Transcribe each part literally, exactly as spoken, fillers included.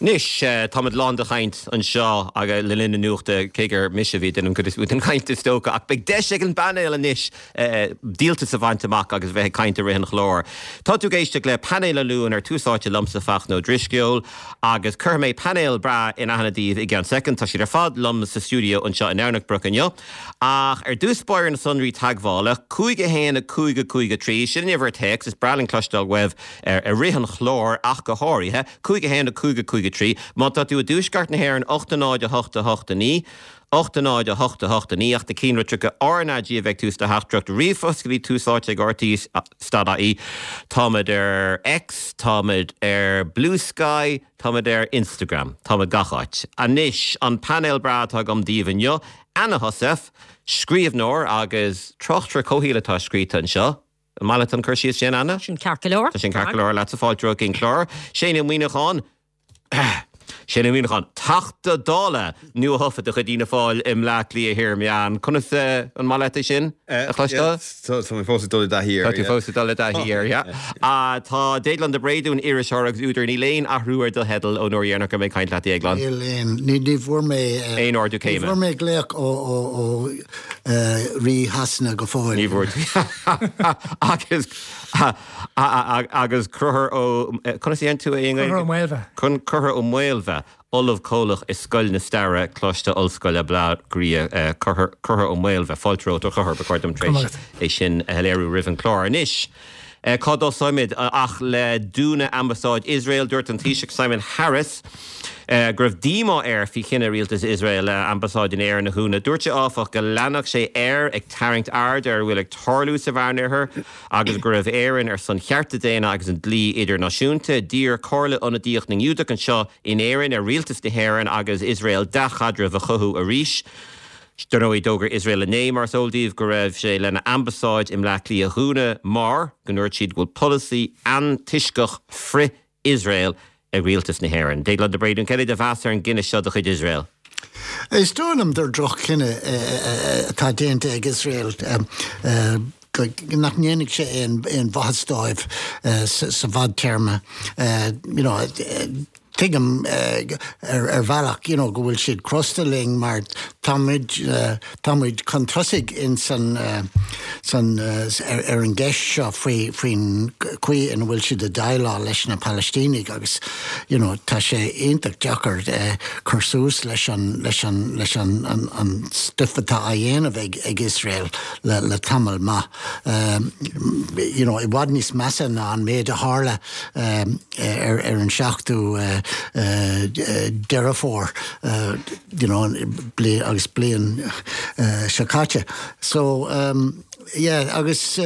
Anois, táimid lán de chaint anseo agus le linn na nuachta cé gur mise a bhí ag déanamh an chuid is mó den chaint is dócha, ach beidh deis ag an bpainéal anois díoltas a bhaint amach agus bheith ag caint i rith an chláir. Tá tú ag éisteacht le Painéal an Luain ar Tús Áite liomsa Fachtna Ó Drisceoil agus cuirfidh mé painéal breá in aithne daoibh i gceann soicind. Tá siad ar fad liom sa stiúideo anseo in Domhnach Broc inniu. Ach ar dtús báire na sonraí teagmhála, cúig a haon a cúig a cúig a trí, sin an uimhir téacs, is breá linn cloisteáil uaibh i rith an chláir ach go háirithe, cúig a haon a cúig a cúig a trí. Má tá tú i dtuaisceart na hÉireann, ocht a náid a hocht a hocht a naoi, ocht a náid a hocht a hocht a naoi, ach na cinnlitreacha RnaG a bheidh ag tús do theachtaireacht ríomhphost go dtí Tús Áite ag RTÉ stad ie. Táimid ar X, táimid ar Bluesky, táimid ar Instagram, táimid gach áit. Anois, an painéal breá atá agam daoibh inniu, Anna Heussaff, scríbhneoir agus tráchtaire comhshaoil atá scríte anseo. An maith leat an cur síos sin, Anna? Sin ceart go leor. Tá sin ceart go leor leatsa fáilte romhat chuig an chlár. Shane Ó Muíneacháin, Shane Ó Muíneacháin, Teachta Dála nuathofa de chuid Fhianna Fáil i mBleá Cliath Thiar Meán. Conas an maith leat é sin a chloisteáil? Tá mé fós ag dul i dtaithí air. Tá tú fós ag dul i dtaithí air, yeah. Tá Déaglán de Bréadún, iriseoir agus údar, níl aon athrú ar do theideal ón uair dheireanach go raibh mé ag caint leat, a Dhéagláin. Níl aon, ní ní bhfuair mé Aon ardú ní céime. bhfuair mé glaoch ó ó ó Rí Shasana go fóill. Ní bhfuair tú. Agus agus Conchúr Ó, conas a dhéanann tú é i nGaeilge? Conchúr Ó Maolmhaidh. Conchúr Ó Maolmhaidh, Ollamh Comhlach i Scoil na Staire, Coláiste Ollscoile Bleá Cliath, Conchúr Ó Maolmhaidh, fáilte romhat a Chonchúir, ba chóir dom tar éis é sin a shoiléiriú roimh an chlár. Anois, cá dtosóimid ach le dúnadh Ambasáid Iosrael? Dúirt an Taoiseach Simon Harris go raibh díomá air faoi chinneadh rialtas Iosrael a ambasáid in Éirinn a dhúnadh. Dúirt sé áfach go leanfadh sé air ag tarraingt aird ar a bhfuil ag tarlú sa Mheánoirthear agus go raibh Éirinn ar son chearta daonna agus an dlí idirnáisiúnta. D'iarr Comhairle Ionadaíoch na nGiúdach anseo in Éirinn ar rialtas na hÉireann agus Iosrael dea-chaidreamh a chothú arís. Dar ndóigh, d'fhógair Iosrael inné, mar is eol daoibh, go raibh sé lena ambasáid i mBleá Cliath a dhúnadh mar go ndúirt siad go bhfuil polasaí antoisceach frith-Iosrael ag rialtas na hÉireann. Déaglán de Bréadún, céard é do mheas ar an gcinneadh seo de chuid Iosrael? Is dóigh liom gur droch-chinneadh atá déanta ag Iosrael, nach ndéanfaidh sé aon mhaitheas dóibh sa bhfadtéarma. You know, tuigim ar bhealach you know go bhfuil siad crosta linn mar táimid táimid chun tosaigh in san san ar an gceist seo faoi faoin chaoi ina bhfuil siad ag déileáil leis na Palaistínigh agus you know tá sé iontach deacair cur suas leis an leis an leis an an an stuif atá á dhéanamh ag ag Iosrael le le tamall maith. You know i bhfad níos measa ná an méid a tharla ar ar an seachtú Deireadh Fómhair you know agus bliain seo caite. So yeah agus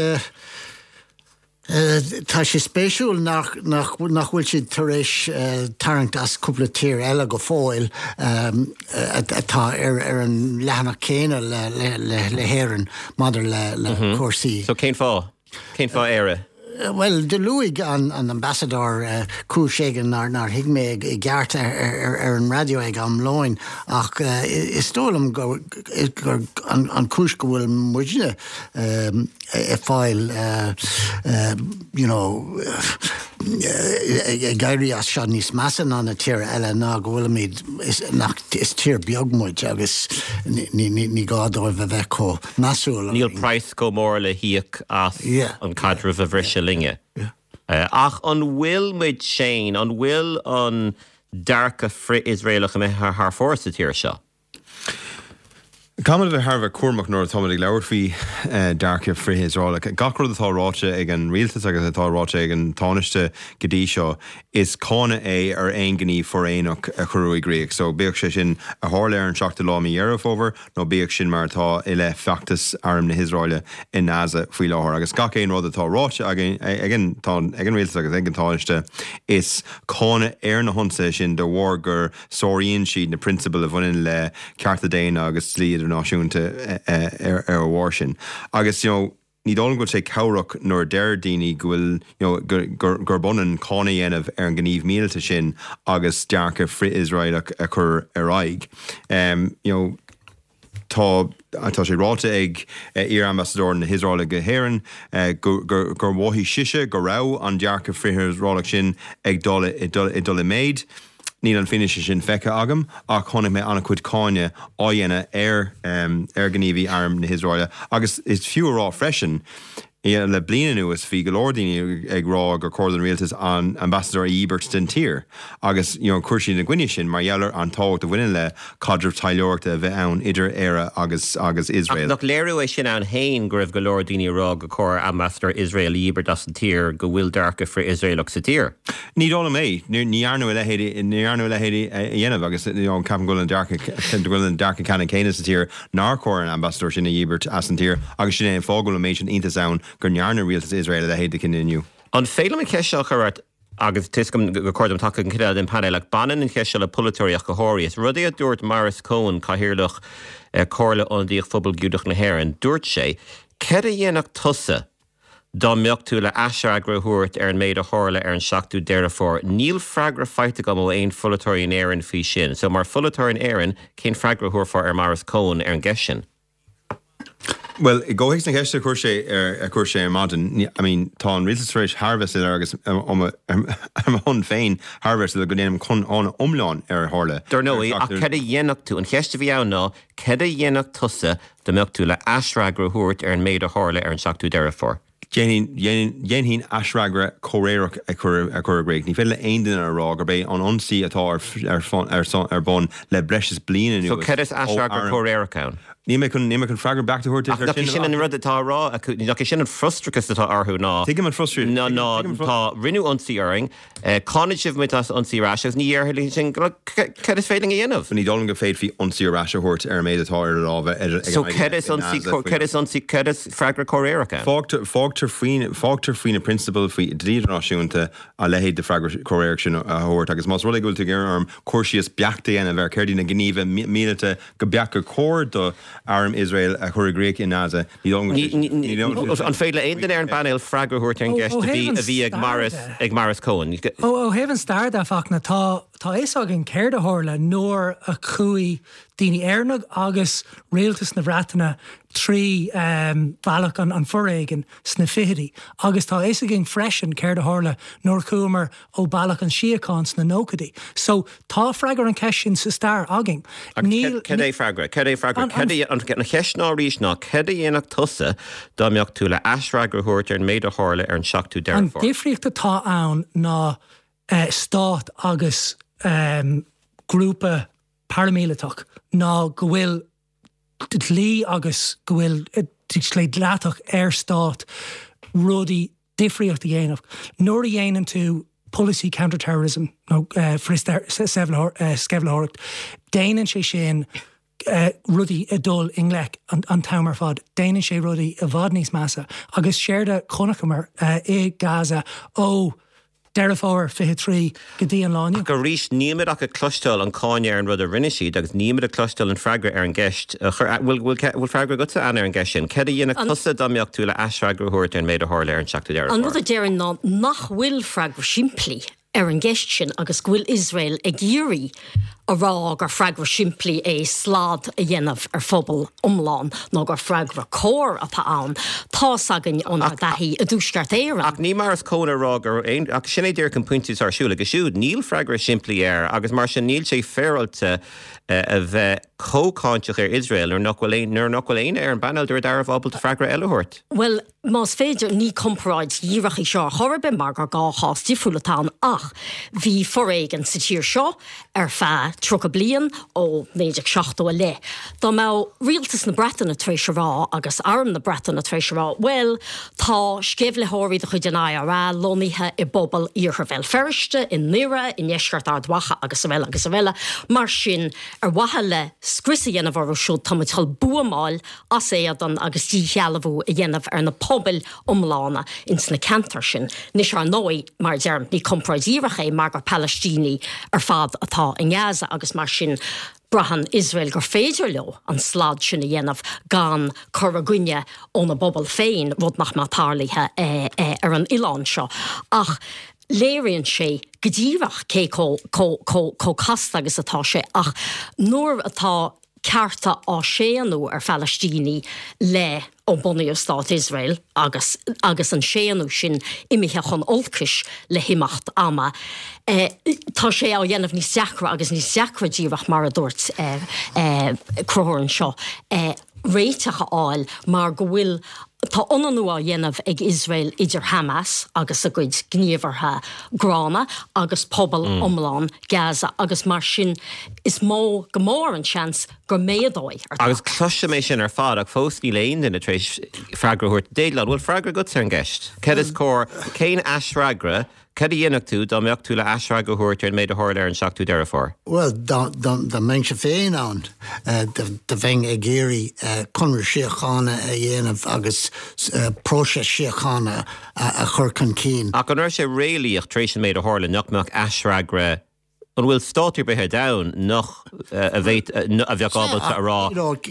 tá sé spéisiúil nach nach nach bhfuil siad tar éis tarraingt as cúpla tír eile go fóill atá ar ar an leathanach céanna le le le le hÉirinn maidir le le cúrsaí. So cén fáth? Cén fáth Éire? Bhuel, do luaigh an an ambasadóir cúis éigin nár nár thuig mé i gceart ar ar ar an raidió ag am lóin ach is dóigh liom go gur an an chúis go bhfuil muidne ag fáil you know ag éirí as seo níos measa ná na tíortha eile ná go bhfuilimid is nach is tír beag muid agus ní ní ní gá dóibh a bheith chomh measúil Níl praghas chomh mór le híoc as an caidreamh a bhriseadh linne. Ach an bhfuil muid Shane, an bhfuil an dearcadh frith-Iosraelach imithe thar fóir sa tír seo? Caithfimid a bheith thar a bheith cúramach nuair atáimid ag labhairt faoi dearcadh frith-Iosraelach. Gach rud atá ráite ag an rialtas agus atá ráite ag an Tánaiste go dtí seo, is cáineadh é ar aon ghníomh foréigneach a cuireadh i gcrích. So bíodh sé sin a tharla ar an seachtú lá mí Dheireadh Fómhair nó bíodh sin mar atá i leith feachtas arm na hIosraeile i nGaza faoi láthair. Agus gach aon rud atá ráite ag an ag an rialtas agus ag an Tánaiste, is cáineadh ar na hionsaithe sin de bharr gur sáraíonn siad na prionsabail a bhaineann le cearta daonna agus dlí idirnáisiúnta ar a bharr sin. Agus you know ní dóigh liom go bhfuil sé cabhrach nuair a deir daoine go bhfuil you know gurb ionann cáineadh a dhéanamh ar an ngníomh míleata sin agus dearcadh frith-Iosraelach a chur ar aghaidh. You know tá tá sé ráite ag iar-ambasadóir na hIosraeile go hÉirinn gur gur mhothaigh sise go raibh an dearcadh frith-Iosraelach sin ag dul ag dul i méid. Níl an fianaise sin feicthe agam ach chonaic mé an-chuid cáineadh á dhéanamh ar ar ghníomhaí arm na hIosraeile agus is fiú a rá freisin le bliain anuas bhí go leor daoine ag rá gur chóir don rialtas an ambasadóir a dhíbirt den tír agus you know, chuir siad ina gcoinne sin mar gheall ar an tábhacht a bhaineann le caidreamh taidhleoireachta a bheith ann idir Éire agus agus Iosrael. Nach léiriú é sin ann féin go raibh go leor daoine ag rá gur chóir ambasadóir Iosrael a dhíbirt as an tír go bhfuil dearcadh frith-Iosraelach sa tír. Ní dóigh liom é ní dhearnadh a leithéid ní dhearnadh a leithéid a dhéanamh agus you know, ceapaim go bhfuil an dearcadh go bhfuil an dearcadh ceannann céanna sa tír nár chóir an ambasadóir sin a dhíbirt as an tír agus sin é an fáth go bhfuil an méid sin iontais ann go ndearna rialtas Iosrael a leithéid de chinneadh inniu. An féidir liom an cheist seo a chur ort agus tuigim gur chóir dom teacht an chuid den painéal ach baineann an cheist seo le polaiteoirí ach go háirithe. Is rud é a dúirt Maurice Cohen cathaoirleach eh, Comhairle Ionadaíoch Phobal Giúdach na hÉireann, dúirt sé, Céard a dhéanfadh tusa dá mbeadh tú le aisfhreagra a thabhairt ar an méid a tharla ar an seachtú Deireadh Fómhair. Níl freagra faighte agam ó aon pholaiteoir in Éirinn faoi sin. So mar pholaiteoir in Éirinn cén freagra a thabharfá ar Maurice Cohen ar an gceist sin. Well, i gcomhthéacs na ceiste a chuir sé ar a chuir sé ar maidin, I mean, tá an rialtas tar éis thar a bheith soiléir agus ar mo shon féin thar a bheith soiléir go ndéanaim cáineadh iomlán ar a tharla. Dar ndóigh ach céard a dhéanfadh tú an cheist a bhí ann ná céard a dhéanfadh tusa dá mbeadh tú le aisfhreagra a thabhairt ar an méid a tharla ar an seachtú Deireadh Fómhair. Dhéanfainn aisfhreagra comhréireach a chur a chur i gcrích. Ní féidir le aon duine a rá gurb é an ionsaí atá ar ar ar bun le breis is bliain So céard is aisfhreagra comhréireach ann. Ní mé chun ní mé chun freagra beacht a thabhairt Ach sin an rud atá rá nach é sin an frustrachas atá orthu ná. Tuigim an frustrachas ná ná tá rinneadh ionsaí orainn, cáineann sibh muid as ionsaí ar ais agus ní dhéarfaidh sin céard is féidir a dhéanamh. Ní dóigh liom go bhféadfaí ionsaí ar ais a thabhairt ar an méid atá ar lámha So céard is ionsaí céard is ionsaí céard is freagra comhréireach ann. Fágtar fágtar faoin fágtar faoi na prionsabail faoi dlí idirnáisiúnta a leithéid de freagra comhréireach sin a thabhairt agus más rud é go bhfuil tú ag iarraidh orm cur síos beacht a dhéanamh ar céard iad na gníomha míleata go beacht gur chóir do arm Iosrael a chur i gcrích in Gaza An féidir le aon duine ar an bpainéal freagra a thabhairt ar an gceist a bhí a bhí ag Maurice ag Maurice Cohen. Ó thaobh an stair de Fachtna tá tá fhios againn céard a tharla nuair a chuaigh daoine Éireannacha agus rialtas na Breataine trí um, bealach an, an foréigin sna fichidí. Agus tá fhios againn freisin céard a tharla nuair chuamar ó bealach an síocháin sna nóchaidí. So tá freagra an cheist sin sa stair againn. Cad é freagra, Cad é freagra an cheist ná arís ná céard a dhéanfadh tusa dá mbeadh tú le aisfhreagra a thabhairt ar an méid a tharla ar an seachtú Deireadh An difríocht atá ann ná uh, stát agus um, grúpa paramíleatach ná go bhfuil dlí agus go bhfuil sé dleathach ar stát rudaí difríocht a dhéanamh. Nuair a dhéanann tú policy counterterrorism nó uh, sceimhlitheoireacht, déanann sé sin uh, rudaí a dul i ngleic an, an t-am ar fad, déanann sé rudaí i bhfad níos measa, agus séard a chonaiceamar uh, i Gaza ó Deireadh Fómhair fiche trí go dtí an lá inniu. Ach arís nílimid ach ag cloisteáil an cáineadh ar an rud a rinne siad agus nílimid ag cloisteáil an freagra ar an gceist. Bhfuil freagra agatsa Ann ar an gceist sin. Céard a dhéanfadh tusa dá mbeadh tú le aisfhreagra a thabhairt ar an méid a tharla ar an seachtú Deireadh An rud a déarfainn ná nach bhfuil freagra simplí ar an gceist sin agus go bhfuil Iosrael ag iarraidh a rá gur freagra simplí é slad a dhéanamh ar phobal iomlán nó gur freagra cóir atá ann. Tá's againn ónár dtaithí i dTuaisceart Éireann. Ach ní mar is cóna rá gur aon ach sin é díreach an pointe ar siúl agus siúd níl freagra simplí air agus mar sin níl sé féaráilte a bheith chomh cáinteach ar Iosrael nuair nach bhfuil nuair nach bhfuil aon ar an bpainéal dáiríre ábalta freagra eile a thabhairt. Well, más féidir ní comparáid dhíreach í seo chor ar bith mar gur dhá chás difriúil atá ann ach bhí foréigean sa tír seo ar feadh tríocha bliain ó naoi déag seachtó i leith. Dá mbeadh rialtas na Breataine tar éis a rá agus arm na Breataine tar éis a rá, well, tá sceimhlitheoirí de chuid an IRA lonnaithe i bpobal Iarthar Bhéal Feirste, i nDoire, i ndeisceart Ard Mhacha agus araile agus araile, mar sin ar mhaithe le scrios a dhéanamh orthu siúd tá muid chun buamáil as éadan agus díshealbhú a dhéanamh ar na pobail iomlána ins na ceantair sin. Anois ar ndóigh mar deirim ní comparáid dhíreach é mar gur Palaistínigh ar fad atá i nGaza agus mar sin braitheann Iosrael gur féidir leo an slad sin a dhéanamh gan cur i gcoinne óna bpobal féin rud nach mbeadh tarlaithe eh, eh, ar an oileán seo. Ach léiríonn sé go díreach cé chomh casta agus atá sé ach nuair atá cearta á séanadh ar Phalaistínigh le ó bunaíodh Stát Iosrael agus agus an séanadh sin imithe chun olcais le himeacht ama. Tá sé á dhéanamh níos deacra agus níos deacra díreach mar a dúirt Conchúr anseo réiteach a fháil mar go bhfuil tá ionannú á dhéanamh ag Iosrael idir Hamas agus a gcuid gníomhartha gránna agus pobal iomlán Gaza agus mar sin is mó go mór an seans go méadóidh ar Agus cloisim é sin ar fad ach fós níl aon duine tar éis freagra a thabhairt. Déaglán, bhfuil freagra agat ar an gceist? Cad is cóir, cén aisfhreagra Cad a dhéanfadh tú dá mbeadh tú le aisfhreagra a thabhairt ar an méid a tharla ar an seachtú Deireadh Fómhair? Bhuel, dá mbeinnse féin ann, do bheinn ag iarraidh conradh síochána a dhéanamh agus próiseas síochána a chur chun cinn. Ach an raibh sé réalaíoch tar éis an méid a tharla nach mbeadh aisfhreagra An bhfuil stát ar bith ar domhan nach a bheadh ábalta a rá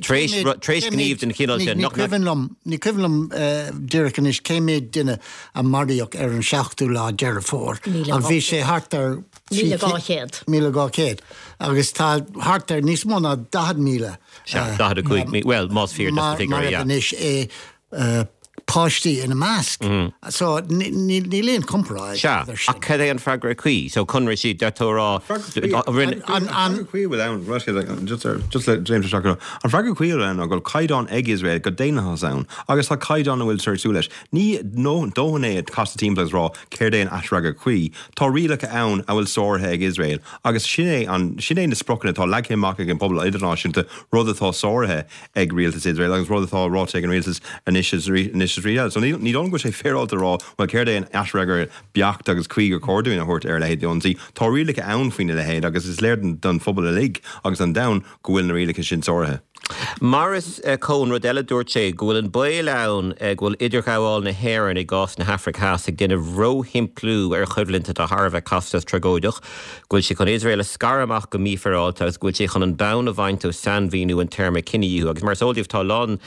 tar éis gníomh den chineál sin nach mbeadh. Ní cuimhin liom díreach anois cé mhéad duine a maraíodh ar an seachtú lá Deireadh Fómhair ach bhí sé thart ar Míle dhá chéad. Míle dhá chéad. Agus tá thart ar níos mó ná daichead míle. Sea, daichead a cúig míle, bhuel, más fíor dos na figiúirí, yeah. Marbh anois é. páistí ina measc. So níl aon comparáid. Sea, ach cad é an freagra cuí? So conradh sí, deir tú a rá, rinne. An freagra cuí a bhfuil ann, just just le James a seachadadh, an freagra cuí a bhfuil ann ná go bhfuil caighdeán ag Iosrael go daonlathas ann agus tá caighdeán a bhfuil tar éis súil leis. Ní dóthain é casadh timpeall agus rá céard é an aisfhreagra cuí. Tá rialacha ann a bhfuil sáraithe ag Iosrael agus sin é an, sin é na spriocanna atá leagtha amach ag an bpobal idirnáisiúnta, rud atá sáraithe ag rialtas Iosrael agus rud atá ráite ag an rialtas anois is anois is arís eile. So ní dóigh liom go bhfuil sé féaráilte a rá, bhuel céard é an aisfhreagra beacht agus cuí gur chóir dúinn a thabhairt ar a leithéid d'ionsaí. Tá rialacha ann faoina leithéid agus is léir don phobal uilig agus don domhan go bhfuil na rialacha sin sáraithe. Maurice Cohen, rud eile dúirt sé go bhfuil an baol ann go bhfuil idirghabháil na hÉireann i gcás na hAfraice Theas ag déanamh róshimpliú ar choimhlint atá thar a bheith casta is tragóideach, go bhfuil sé chun Iosrael a scaradh amach go mífhéaráilte agus go bhfuil sé chun an bonn a bhaint ó sainmhíniú an téarma cinedhíothú. Agus mar is eol daoibh tá a lán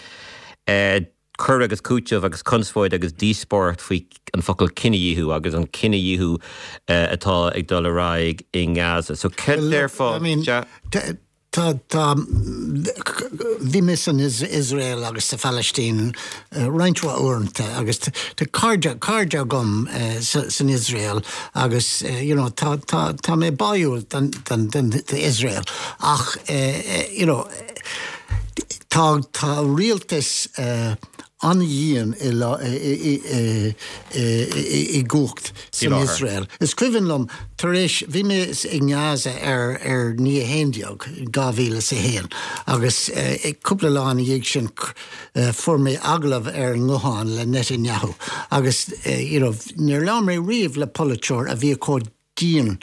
cur agus cúiteamh agus conspóid agus díospóireacht faoi an focal cinedhíothú agus an cinedhíothú atá ag dul ar aghaidh i nGaza. So cad déarfá? Tá, tá, bhí mé san Iosrael agus sa Phalaistín roinnt mhaith uaireanta agus tá cairde, cairde agam san Iosrael agus you know tá, tá, tá mé báúil don, don, don, d'Iosrael ach you know tá, tá rialtas an-dhian i gcumhacht san Iosrael. Is cuimhin liom tar éis, bhí mé i nGaza ar ar naoi a haon déag, dhá mhíle is a haon, agus cúpla lá ina dhiaidh sin fuair mé agallamh ar an nguthán le Netanyahu agus you know níor labhair mé riamh le polaiteoir a bhí chomh dian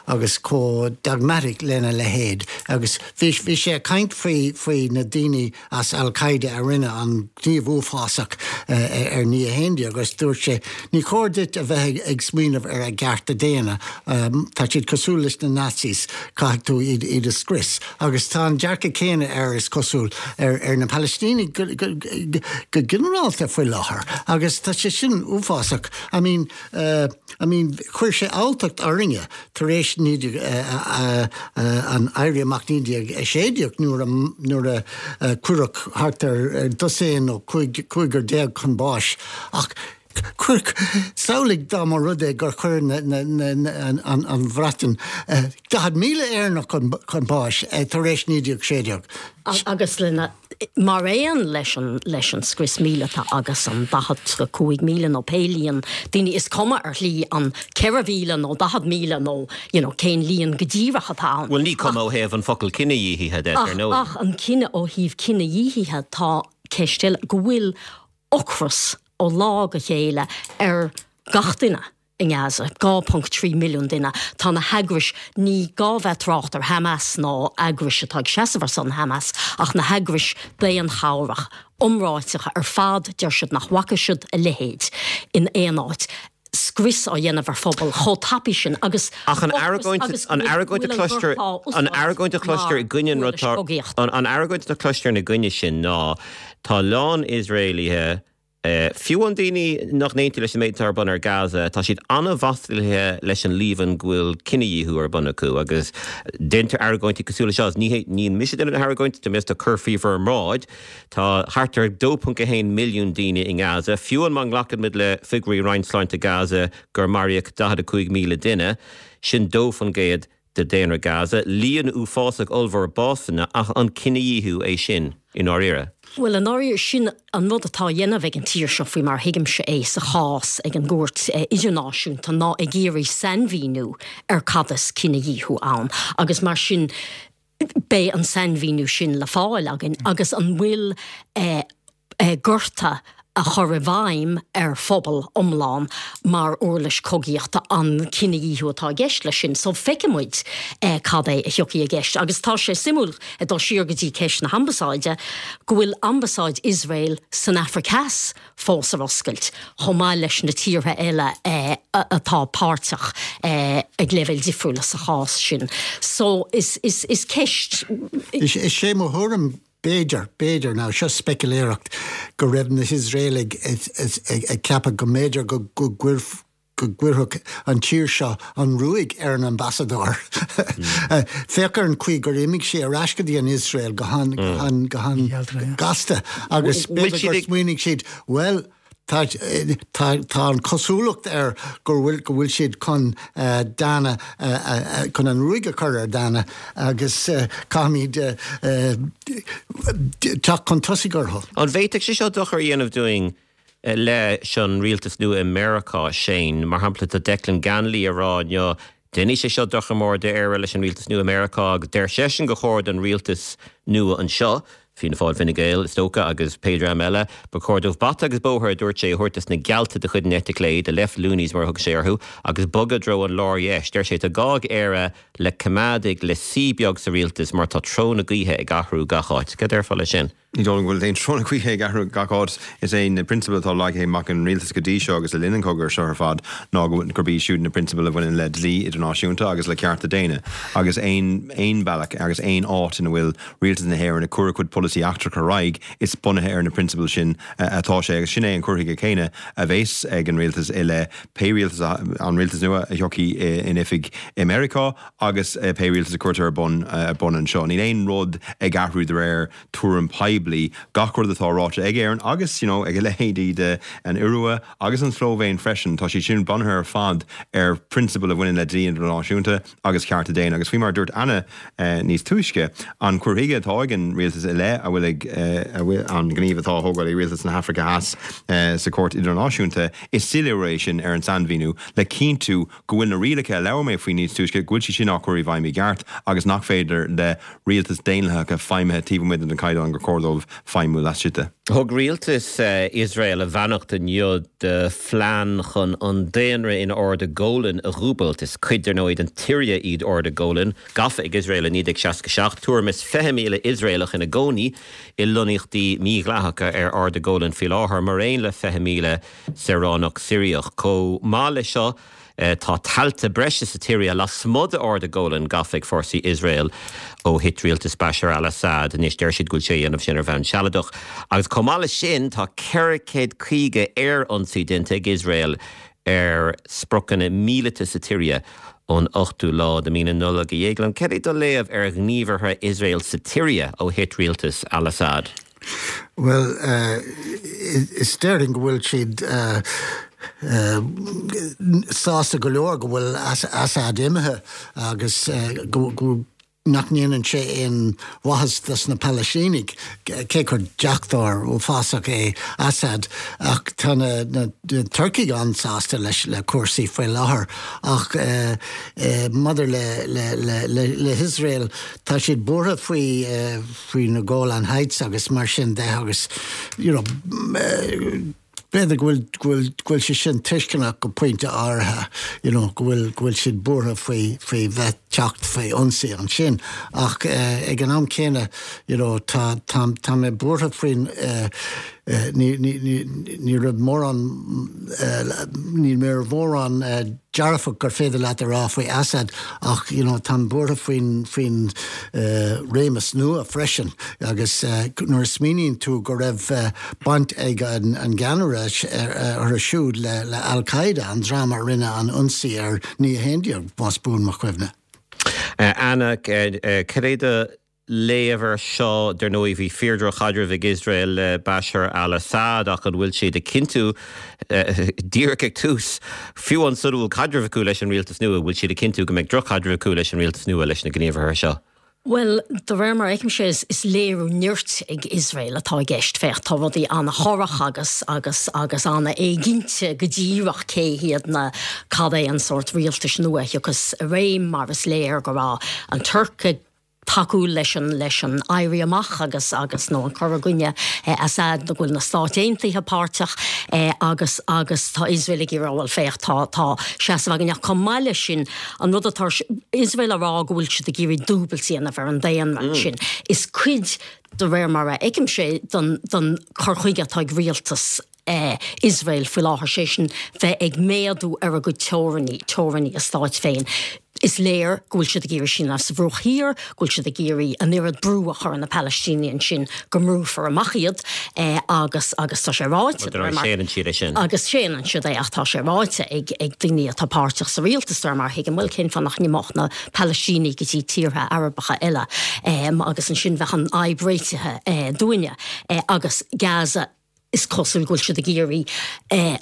agus chomh dogmatic lena leithéid agus bhí bhí sé ag caint faoi faoi na daoine as Al Qaeda a rinne an gníomh uafásach ar naoi a haon déag agus dúirt sé ní chóir duit a bheith ag smaoineamh ar a gcearta daonna, tá siad cosúil leis na Nazis, caithfidh tú iad iad a scrios. Agus tá an dearcadh céanna air is cosúil ar ar na Palaistínigh go go go ginearálta faoi láthair agus tá sé sin uafásach. I mean I mean, chuir sé alltacht orainne tar éis an Éirí Amach naoi déag a sé déag nuair a nuair a cuireadh thart ar dosaen nó cúigear déag chun báis ach chuir, samhlaigh dá mba rud é gur chuir an Bhreatain daichead míle Éireannach chun báis tar éis naoi déag sé déag. Agus lena Mar aon leis an leis an scrios míleata agus an daichead go cúig míle nó pé líon daoine, is cuma ar shlí an ceithre mhíle nó daichead míle nó you know cén líon go díreach atá ann. Bhuel ní cuma ó thaobh an focal cinedhíothaithe de, ar ndóigh. Ach an cine ó thaobh cinedhíothaithe tá ceist eile go bhfuil ocras ó lá go chéile ar gach duine. i nGaza, dhá ponc trí milliún duine. Tá na heagrais, ní gá bheith trácht ar Hamas ná eagrais atá ag seasamh ar son Hamas, ach na heagrais daonchabhrach iomráiteacha ar fad, deir siad nach bhfaca siad a leithéid in aon áit, scrios á dhéanamh ar phobal chomh tapaidh sin agus Ach an argóint, an argóint a chloistear, an argóint a chloistear i gcoinne an rud, an argóint a chloistear ina gcoinne sin ná tá a lán Iosraelaithe, Fiú an daoine nach n-aontaíonn leis an méid atá ar bun ar Gaza, tá siad an-mhaslaithe leis an líomhain go bhfuil cinedhíothú ar bun acu agus déantar argóintí cosúil leis seo. Ní ní mise a dhéanann na hargóintí, tá mé ag cur faoi bhur mbráid. Tá thart ar dó ponc a haon milliún daoine i nGaza, fiú an má ghlacann muid le figiúirí Roinn Sláinte Gaza gur maraíodh daichead a cúig míle duine, sin dó faoin gcéad de daonra Gaza, líon uafásach ollmhór básanna, ach an cinedhíothú é sin i ndáiríre? Bhuel, i ndáiríre, sin an rud atá á dhéanamh ag an tír seo faoi mar a thuigimse é sa chás ag an gCúirt Idirnáisiúnta ná ag iarraidh sainmhíniú ar cad is cinedhíothú ann agus mar sin beidh an sainmhíniú sin le fáil againn agus an bhfuil gorta a chur i bhfeidhm ar phobal iomlán mar uirlis cogaíochta an cinedhíothú atá i gceist leis sin. So feicfidh muid cad é a thiocfaidh i gceist. Agus tá sé suimiúil, ag dul siar go dtí ceist na hambasáide, go bhfuil ambasáid Iosrael san Afraic Theas fós ar oscailt, chomh maith leis na tíortha eile atá páirteach ag leibhéil difriúla sa chás sin. So is is is ceist. Is é mo thuairim B'fhéidir, b'fhéidir, now seo speicealéireacht, go raibh na hIosraelaigh ag ceapadh go mb'fhéidir go gcuirfeadh an tír seo an ruaig ar an ambasadóir. Féach ar an chaoi gur imigh sé ar ais go dtí an Iosrael go han-gasta agus b'fhéidir gur smaoinigh siad, bhuel, Tá an chosúlacht air go bhfuil go bhfuil siad chun Dana chun an ruaig a chur ar Dana agus caithfimid teacht chun tosaigh orthu. An bhféadfadh sé seo dochar a dhéanamh dúinn leis an rialtas nua i Meiriceá, Shane? Mar shampla, tá Declan Ganley ag rá inniu Déanfaidh sé seo dochar mór d'Éire leis an rialtas nua i Meiriceá agus deir seisean gur chóir don rialtas nua anseo, Fianna Fáil, Fine Gael, is dócha, agus pé dream eile, ba chóir dóibh bata agus bóthar, a dúirt sé, a thabhairt dos na gealta de chuid an eite chlé, the left loonies mar a thug sé orthu, agus bogadh i dtreo an lár-dheis. Deir sé tá gá ag Éire le coimeádaigh le suí beag sa rialtas mar tá treo na gaoithe ag athrú gach áit. Cad déarfá leis sin? Ní dóigh liom go bhfuil aon treo na gaoithe ag athrú gach áit. Is é na prionsabail atá leagtha amach ag an rialtas go dtí seo agus le linn an chogaidh seo ar fad ná gurb iad siúd na prionsabail a bhaineann le dlí idirnáisiúnta agus le cearta daonna agus aon aon bhealach agus aon áit ina bhfuil rialtas na hÉireann ag cur a chuid polasaí eachtrach ar aghaidh is bunaithe ar na prionsabail sin atá sé agus sin é an cur chuige céanna a bheas ag an rialtas i leith pé rialtas an rialtas nua a thiocfaidh in oifig i Meiriceá agus pé rialtas a cuirtear ar bun ar bun anseo. Níl aon rud ag athrú de réir tuairim poiblí, gach rud atá ráite ag Éirinn agus you know ag a leithéidí de an Iorua agus an tSlóivéin freisin, tá siad sin bunaithe ar fad ar phrionsabail a bhaineann le dlí idirnáisiúnta agus cearta daonna. Agus faoi mar a dúirt Anna níos túisce, an cur chuige atá ag an rialtas i leith a bhfuil ag a bhfuil an gníomh atá á thógáil ag rialtas na hAfraice Theas sa Chúirt Idirnáisiúnta, is soiléiriú é sin ar an sainmhíniú le cinntiú go bhfuil na rialacha a labhair mé faoi níos túisce, go bhfuil siad sin á cur i bhfeidhm i gceart agus nach féidir le rialtais daonlathacha feidhmithe taobh amuigh den chaighdeán gur chóir dóibh feidhmiú laistigh de. Thug rialtas Iosrael a bheannacht inniu do phlean chun an daonra in Arda Golan a dhúbailt. Is cuid, ar ndóigh, den tSiria iad Arda Golan, gafa ag Iosrael i naoi déag seasca seacht. Tuairim is fiche míle Iosraelach ina gcónaí i lonnaíochtaí mídhleathacha ar Arda Golan faoi láthair, mar aon le fiche míle saoránach Siriach. Chomh maith leis seo, tá tailte breise sa tSiria lasmuigh d'Arda Golan gafa ag fórsaí Iosrael ó thit rialtas Bashar al-Assad. Anois deir siad go bhfuil sé á dhéanamh sin ar bhonn sealadach. Agus chomh maith leis sin, tá ceithre chéad caoga aerionsaí déanta ag Iosrael ar spriocanna míleata sa tSiria ón ochtú lá de mhí na Nollag. A Dhéagláin, cad é do léamh ar ghníomhartha Iosrael sa tSiria ó thit rialtas al-Assad? Bhuel, is déarfainn go bhfuil siad sásta go leor go bhfuil Assad imithe agus go nach ndéanann sé aon mhaitheas dos na Palaistínigh, cé gur deachtóir uafásach é Assad, ach tá na Turcaigh an-sásta leis le cúrsaí faoi láthair. Ach maidir le hIosrael, tá siad buartha faoi faoi na Golan Heights agus mar sin de agus you know b'fhéidir go bhfuil go bhfuil go bhfuil sé sin tuisceanach go pointe áirithe you know go bhfuil go bhfuil siad buartha faoi faoi bheith teacht faoi ionsaí ansin ach ag an am céanna you know tá tá tá mé buartha faoin Ní raibh mórán ní raibh mórán dearfach gur féidir leat a rá faoi Assad ach you know, táim buartha faoin faoin uh, réimeas nua freisin agus uh, nuair a smaoiníonn tú go raibh uh, baint ag an, an gceannaire orthu siúd le, le Al-Qaeda an dream a rinne an ionsaí ar naoi a haon déag más buan mo chuimhne. Uh, Anna uh, uh, cad é do léamh air seo dar ndóigh bhí fíordhroch-chaidreamh ag Iosrael le Bashar al-Assad ach an bhfuil siad ag cinntiú díreach ag tús fiú ansan bhfuil caidreamh acu leis an rialtas nua bhfuil siad ag cinntiú go mbeidh drochchaidreamh acu leis an rialtas nua leis na gníomhartha seo. Well, de réir mar a fheicimse is, is léiriú nirt ag Iosrael atá i gceist féach tá rudaí an-chorrach agus agus agus an-éiginnte go díreach cé hiad na cad é an sórt rialtais nua a thiocfas i réim mar is léir go raibh an Tuirc ag tacú leis an leis an éirí amach agus agus nó an cur i gcoinne eh, Assad go bhfuil na Stáit Aontaithe páirteach eh, agus agus tá Iosrael ag rá bhuel féach tá tá seasamh againn ach chomh maith leis sin an rud atá Iosrael a rá go bhfuil siad ag iarraidh dúbailt a dhéanamh ar an daonra mm. sin is cuid de réir mar a fheicimse don don chur chuige atá ag rialtas eh, Iosrael faoi láthair sé sin bheith ag méadú ar a gcuid teorainní teorainní a stáit féin. Is léir go bhfuil siad ag iarraidh sin sa Bhruach Thiar, go bhfuil siad ag iarraidh an oiread brú a chur ar na Palaistínigh ansin go mbrúfar amach iad eh, agus agus tá sé ráite Séanann siad é sin. agus séanann siad é ach tá sé ráite ag ag daoine atá páirteach sa rialtas mar thuigim bhfuil cén fáth nach n-imeodh na Palaistínigh go dtí tíortha Arabacha eile um, agus ansin bheadh an fhadhb réitithe eh, dúinne eh, agus Gaza is cosúil go bhfuil siad ag iarraidh eh,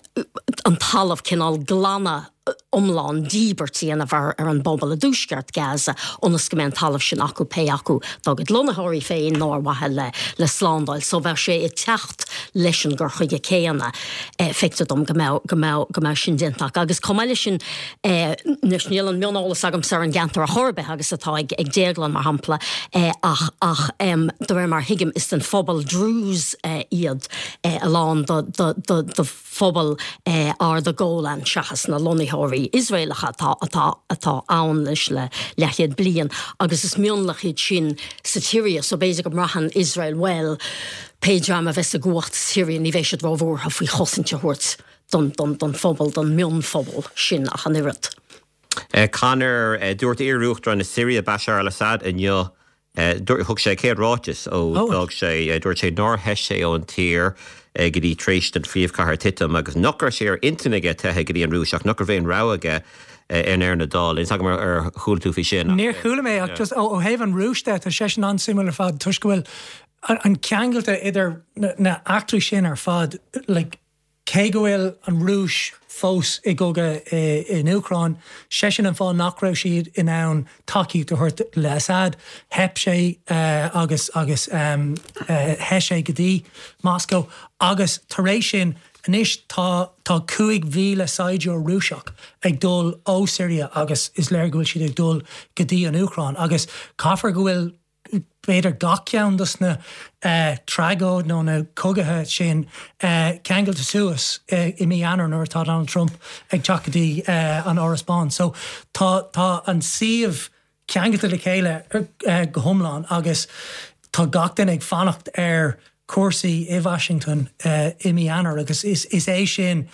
an talamh cineál glanadh iomlán díbirt a dhéanamh ar ar an bpobal i dtuaisceart Gaza ionas go mbeidh an talamh sin acu pé acu dá gcuid lonnaitheoirí féin nó ar mhaithe le le slándáil, so bheadh sé ag teacht leis an gcur chuige céanna eh, feictear dom go mbeadh go mbeadh go mbeadh sin déanta agus chomh maith leis sin eh, níl an mioneolas agamsa ar an gceantar ar chor ar bith agus atá ag ag Déaglán mar shampla eh, ach ach um, de réir mar thuigim is den phobal Druze eh, iad eh, a lán do, do, do, do phobal eh, Arda Golan seachas na lonnaitheoirí Iosraelacha atá atá atá ann leis le leathchéad bliain agus is mionlach iad sin sa tSiria so b'fhéidir go mbraitheann Iosrael well pé dream a bheas i gcumhacht sa tSiria ní bheidh siad róbhuartha faoi chosaint a thabhairt don, don, don phobal don mhionphobal sin ach an oiread. Uh, Conor uh, dúirt iar-uachtarán na Siria Bashar al-Assad inniu uh, thug sé céad ráiteas ó d'fhág sé dúirt sé nár theith sé ón tír go dtí tar éis don phríomhchathair titim agus nach raibh sé ar intinn aige teitheadh go dtí an Rúis ach nach raibh aon rogha aige in ndeireadh na dála. Is agam ar chuala tú faoi sin. Níor chuala mé ach just ó thaobh an Rúis de tá sé sin an-suimiúil ar fad toisc go bhfuil an ceangailte idir na eachtraí sin ar fad like, cé go bhfuil an Rúis fós i gcogadh in Úcráin, sé sin an fáth nach raibh siad in ann tacaíocht a thabhairt le Assad, theip sé uh, agus agus um, uh, theith sé go dtí Moscow agus tar éis sin anois tá tá cúig mhíle saighdiúir Rúiseach ag dul ó Syria agus is léir go bhfuil siad ag dul go dtí an Úcráin agus caithfidh go bhfuil b'fhéidir gach ceann dos na uh, tragóid nó na cogaithe sin uh, ceangailte suas uh, i mí Eanáir nuair atá Donald Trump ag teacht go dtí uh, an Áras Bán. So tá tá an suíomh ceangailte le chéile uh, go hiomlán agus tá gach duine ag fanacht ar cúrsaí i Washington uh, i mí Eanáir agus is, is é sin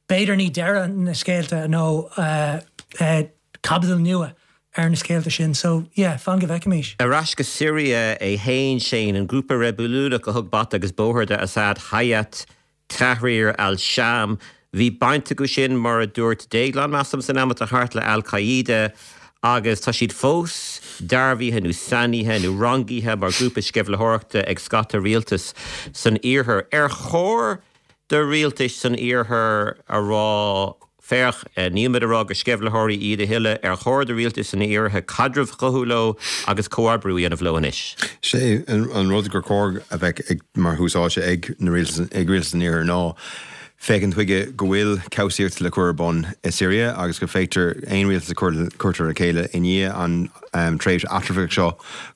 b'fhéidir ní deireadh na scéalta nó uh, uh, caibidil nua ar na scéalta sin, so yeah, fan go bhfeicfimid. Ar ais go Syria é féin sin an grúpa reibiliúnach a thug bata agus bóthar do Assad Hayat Tahrir al-Sham. Bhí baint acu sin mar a dúirt Déaglán measaim san am atá thart le Al-Qaeda agus tá siad fós dearbhaithe nó sainithe nó rangaithe mar grúpa sceimhlitheoireachta ag scata rialtas san iarthar. Ar chóir do rialtais san iarthar a rá Féach nílimid ag rá gur sceimhlitheoirí iad a thuilleadh ar chóir do rialtais san iarthar caidreamh a chothú leo agus comhoibriú a dhéanamh leo anois. Sé an rud gur chóir a bheith ag mar thús áite ag na ag rialtas an iarthair ná féachaint chuige go bhfuil cobhsaíocht le cur ar bun i Syria agus go féidir aon rialtas a cuirtear le chéile i ndiaidh an um, tréimhse eatramhach seo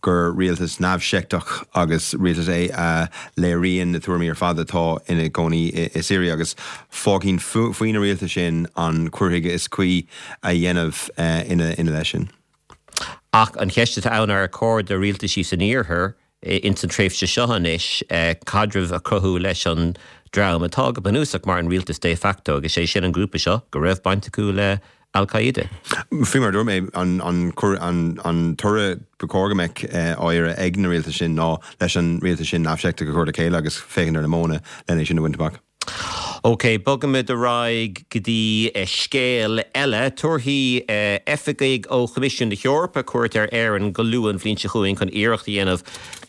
gur rialtas neamhsheicteach agus rialtas é a léiríonn na tuairimí ar fad atá ina gcónaí i, i Syria agus fágfainn faoi na rialtais sin an cur chuige is cuí a dhéanamh uh, ina ina leith sin. Ach an cheist atá ann ar chóir do rialtaisí san iarthar ins an tréimhse seo anois caidreamh a chruthú leis an dream atá go bunúsach mar an rialtas de facto agus sé sin an grúpa seo go raibh baint acu le Al-Qaeda. Faoi mar dúirt mé an an an an toradh ba chóir go mbeadh á iarraidh ag na rialtais sin ná leis an rialtas sin neamhsheicteach a chur le chéile agus féachaint ar na modhanna lena sin a bhaint amach. Ok, bogaimid ar aghaidh go dtí scéal eile. Tabharfaidh oifigigh ó Choimisiún na hEorpa cuairt ar Éirinn go luath an bhliain seo chugainn chun iarracht a dhéanamh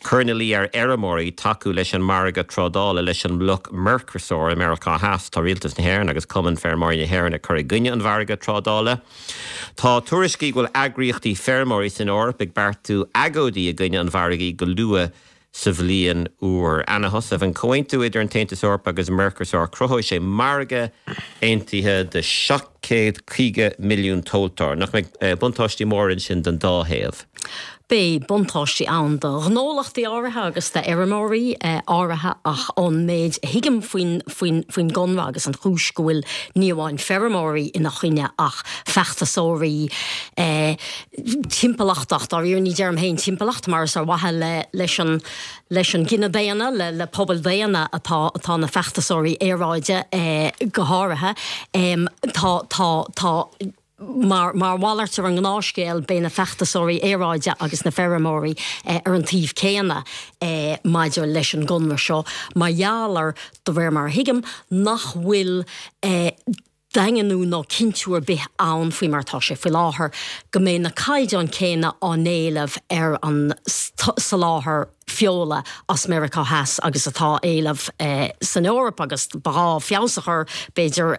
cur ina luí ar fheirmeoirí tacú leis an margadh trádála leis an mbloc Mercosur i Meiriceá Theas. Tá Rialtas na hÉireann agus Cumann Feirmeoirí na hÉireann ag cur i gcoinne an mhargaidh trádála. Tá tuairiscí go bhfuil eagraíochtaí feirmeoirí san Eoraip ag beartú agóidí i gcoinne an mhargaidh go luath sa bhliain úr. Anna Heussaff, an comhaontú idir an tAontas Eorpach agus Mercosur cruthóidh sé margadh aontaithe de seacht chéad caoga milliún tomhaltóir. Nach mbeidh buntáistí móra ansin don dá thaobh? Beidh buntáistí ann do ghnólachtaí áirithe agus d'fheirmeoirí áirithe ach ón méid a thuigim faoin faoin faoin gconradh agus an chúis go bhfuil ní amháin feirmeoirí ina choinne ach feachtasóirí timpeallachta, dáiríre ní deirim féin timpeallacht mar is ar mhaithe le leis an leis an gcine daonna, le le pobal daonna atá atá na feachtasóirí aeráide go háirithe. Tá tá tá Mar mar mhalairt ar an ngnáthscéal, beidh na feachtasóirí aeráide agus na feirmeoirí ar an taobh céanna maidir leis an gconradh seo, mar gheall ar, de réir mar a thuigim, nach bhfuil daingniú nó cinntiú ar bith ann, faoi mar atá sé faoi láthair, go mbeidh na caighdeáin chéanna á n-éileamh ar an soláthar feola as Meiriceá Theas agus atá á éileamh san Eoraip agus ba ghá feabhas a chur, b'fhéidir,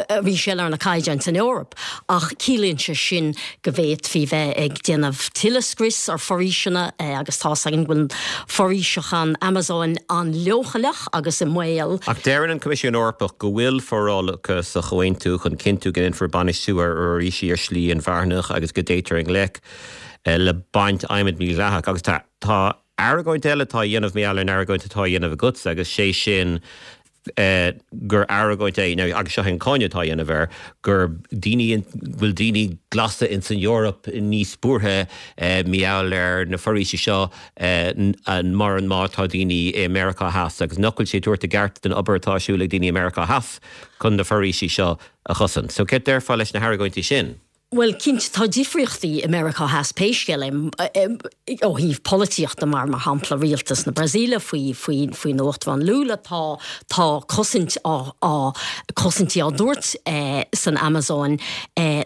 arís eile ar na caighdeáin san Eoraip. Ach ciallaíonn sé sin go bhféadfaí bheith ag déanamh tuilleadh scrios ar foraoiseanna agus tá's againn go bhfuil foraoiseacha an Amazóin an-leochaileach agus i mbaol. Ach deireann an Coimisiún Eorpach go bhfuil forálacha sa chomhaontú chun cinntiú go ndéanfar bainistiú ar fhoraoisí ar shlí inmharthanach agus go dtéitear i ngleic le baint adhmaid mhídhleathach agus tá tá Argóint eile atá á dhéanamh mar gheall ar an argóint atá á dhéanamh agatsa agus sé sin gur argóint é, nó agus seo é an cáineadh atá á dhéanamh air, gur daoine, bhfuil daoine glasa ins an Eoraip níos buartha mar gheall ar na foraoisí seo mar an má tá daoine i Meiriceá Theas agus nach bhfuil sé ag tabhairt a gceart don obair atá ar siúl ag daoine i Meiriceá Theas chun na foraoisí seo a chosaint. So céard déarfá leis na hargóintí sin? Bhuel, cinnte, tá difríochtaí i Meiriceá Theas pé scéal é, ó thaobh polaitíochta mar, mar shampla, rialtas na Brasaíle faoi, faoi, faoin Uachtarán Lula, tá, tá cosaint á, á, cosaintí á dtabhairt san Amazóin